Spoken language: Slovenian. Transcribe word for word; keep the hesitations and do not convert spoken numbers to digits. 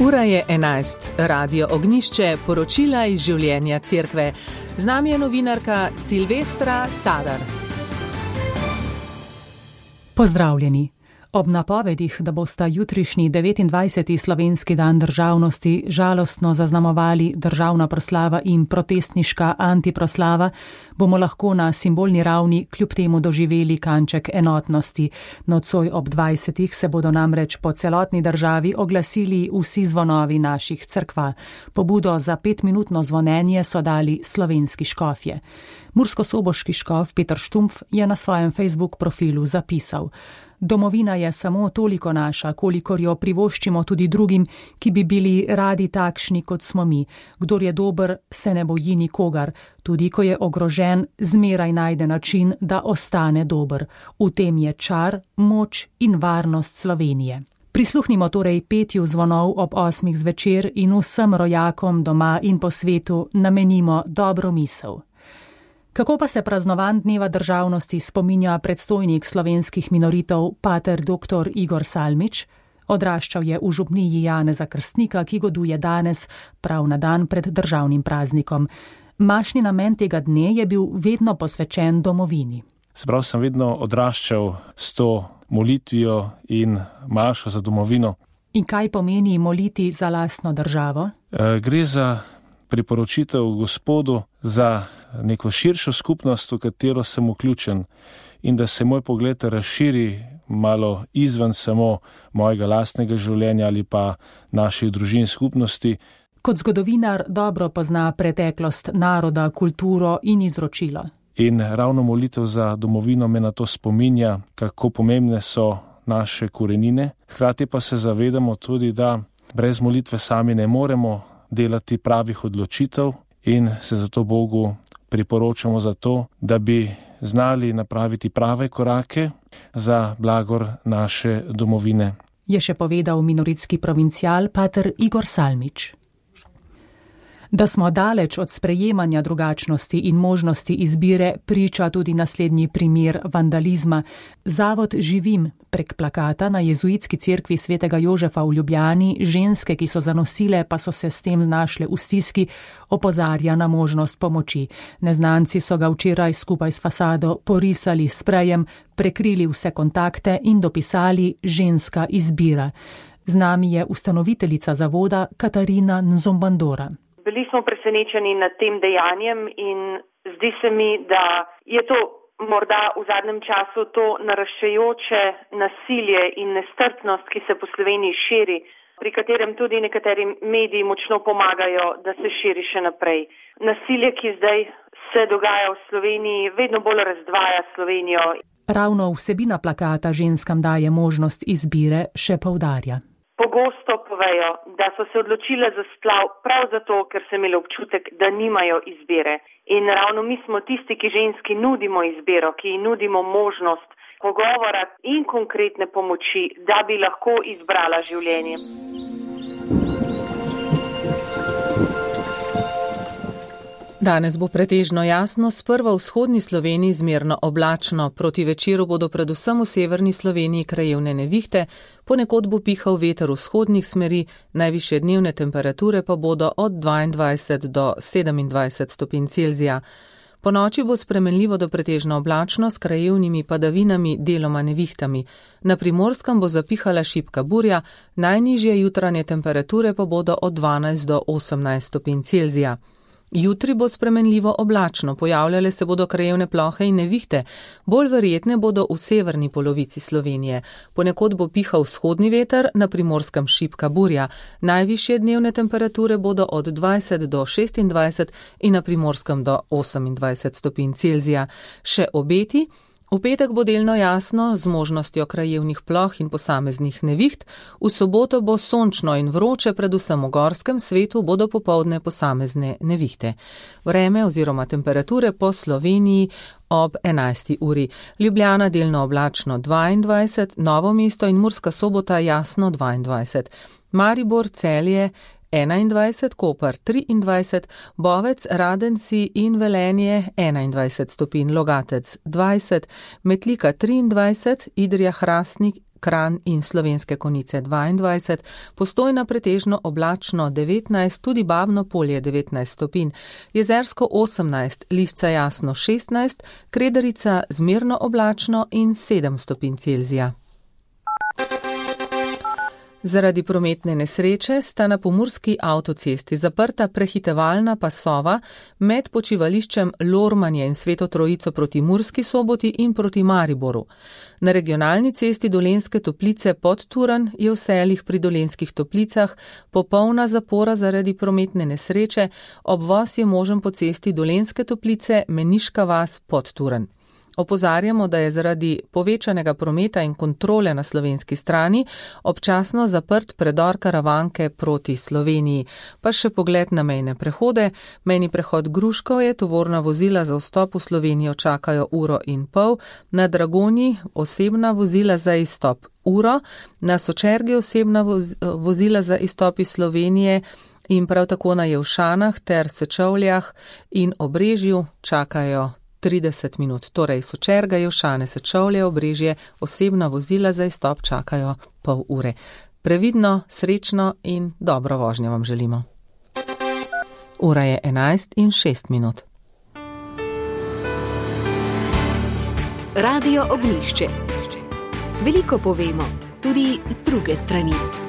Ura je enajst, Radio Ognjišče, poročila iz življenja cerkve. Z nami je novinarka Silvestra Sadar. Pozdravljeni. Ob napovedih, da bosta jutrišnji devetindvajseti slovenski dan državnosti žalostno zaznamovali državna proslava in protestniška antiproslava, bomo lahko na simbolni ravni kljub temu doživeli kanček enotnosti. Nocoj ob dvajsetih se bodo namreč po celotni državi oglasili vsi zvonovi naših cerkva. Pobudo za petminutno zvonjenje so dali slovenski škofje. Murskosoboški škof Peter Štumpf je na svojem Facebook profilu zapisal: Domovina je samo toliko naša, kolikor jo privoščimo tudi drugim, ki bi bili radi takšni, kot smo mi. Kdor je dober, se ne boji nikogar. Tudi ko je ogrožen, zmeraj najde način, da ostane dober. V tem je čar, moč in varnost Slovenije. Prisluhnimo torej petju zvonov ob osmih zvečer in vsem rojakom doma in po svetu namenimo dobro misel. Kako pa se praznovan dneva državnosti spominja predstojnik slovenskih minoritev pater doktor Igor Salmič? Odraščal je v župniji Janeza Krstnika, ki goduje danes, prav na dan pred državnim praznikom. Mašni namen tega dne je bil vedno posvečen domovini. Sprav sem vedno odraščal s to molitvijo in mašo za domovino. In kaj pomeni moliti za lastno državo? E, gre za priporočitev Gospodu za neko širšo skupnost, v katero sem vključen, in da se moj pogled razširi malo izven samo mojega lastnega življenja ali pa naših družin skupnosti. Kot zgodovinar dobro pozna preteklost naroda, kulturo in izročilo. In ravno molitev za domovino me na to spominja, kako pomembne so naše korenine. Hkrati pa se zavedamo tudi, da brez molitve sami ne moremo delati pravih odločitev in se zato Bogu priporočamo za to, da bi znali napraviti prave korake za blagor naše domovine. Je še povedal minoritski provincial pater Igor Salmič. Da smo daleč od sprejemanja drugačnosti in možnosti izbire, priča tudi naslednji primer vandalizma. Zavod Živim prek plakata na jezuitski cerkvi svetega Jožefa v Ljubljani, ženske, ki so zanosile, pa so se s tem znašle v stiski, opozarja na možnost pomoči. Neznanci so ga včeraj skupaj s fasado porisali s sprejem, prekrili vse kontakte in dopisali ženska izbira. Z nami je ustanoviteljica zavoda Katarina Nzombandora. Bili smo presenečeni nad tem dejanjem in zdi se mi, da je to morda v zadnjem času to naraščajoče nasilje in nestrpnost, ki se po Sloveniji širi, pri katerem tudi nekateri mediji močno pomagajo, da se širi še naprej. Nasilje, ki zdaj se dogaja v Sloveniji, vedno bolj razdvaja Slovenijo. Ravno vsebina plakata ženskam daje možnost izbire, še poudarja. Pogosto povejo, da so se odločile za splav prav zato, ker so imeli občutek, da nimajo izbire. In ravno mi smo tisti, ki ženski nudimo izbiro, ki ji nudimo možnost pogovora in konkretne pomoči, da bi lahko izbrala življenje. Danes bo pretežno jasno, sprva v vzhodni Sloveniji zmerno oblačno. Proti večeru bodo predvsem v severni Sloveniji krajevne nevihte, ponekod bo pihal veter vzhodnih smeri, najvišje dnevne temperature pa bodo od dvaindvajset do sedemindvajset stopinj Celzija. Po noči bo spremenljivo do pretežno oblačno s krajevnimi padavinami, deloma nevihtami. Na Primorskem bo zapihala šibka burja, najnižje jutranje temperature pa bodo od dvanajst do osemnajst stopinj Celzija. Jutri bo spremenljivo oblačno, pojavljale se bodo krajevne plohe in nevihte, bolj verjetne bodo v severni polovici Slovenije. Ponekod bo pihal vzhodni veter, na Primorskem šibka burja. Najvišje dnevne temperature bodo od dvajset do šestindvajset in na Primorskem do osemindvajset stopinj Celzija. Še obeti. V petek bo delno jasno, z možnostjo krajevnih ploh in posameznih neviht, v soboto bo sončno in vroče, predvsem v gorskem svetu bodo popoldne posamezne nevihte. Vreme oziroma temperature po Sloveniji ob enajsti uri. Ljubljana delno oblačno dvaindvajset, Novo mesto in Murska Sobota jasno dvaindvajset. Maribor, Celje enaindvajset, Koper triindvajset, Bovec, Radenci in Velenje enaindvajset stopinj, Logatec dvajset, Metlika triindvajset, Idrija, Hrastnik Kranj in Slovenske Konjice dvaindvajset, Postojna pretežno oblačno devetnajst, tudi Babno Polje devetnajst stopinj, Jezersko osemnajst, Lisca jasno šestnajst, Kredarica zmerno oblačno in sedem stopinj Celzija. Zaradi prometne nesreče sta na pomurski avtocesti zaprta prehitevalna pasova med počivališčem Lormanje in Sveto Trojico proti Murski Soboti in proti Mariboru. Na regionalni cesti Dolenjske Toplice pod Turan je v Seljih pri Dolenjskih Toplicah popolna zapora zaradi prometne nesreče, obvoz je možen po cesti Dolenjske Toplice Meniška vas pod Turan. Opozarjamo, da je zaradi povečanega prometa in kontrole na slovenski strani občasno zaprt predor Karavanke proti Sloveniji. Pa še pogled na mejne prehode. Mejni prehod Gruškov je, tovorna vozila za vstop v Slovenijo čakajo uro in pol, na Dragonji osebna vozila za izstop uro, na Sočergi osebna voz, vozila za izstop iz Slovenije in prav tako na Jevšanah ter Sečovljah in Obrežju čakajo trideset minut, torej Sočerga, Jevšane, Sečovlje, Obrežje, osebna vozila za izstop čakajo pol ure. Previdno, srečno in dobro vožnjo vam želimo. Ura je enajst in šest minut. Radio Ognjišče. Veliko povemo, tudi z druge strani.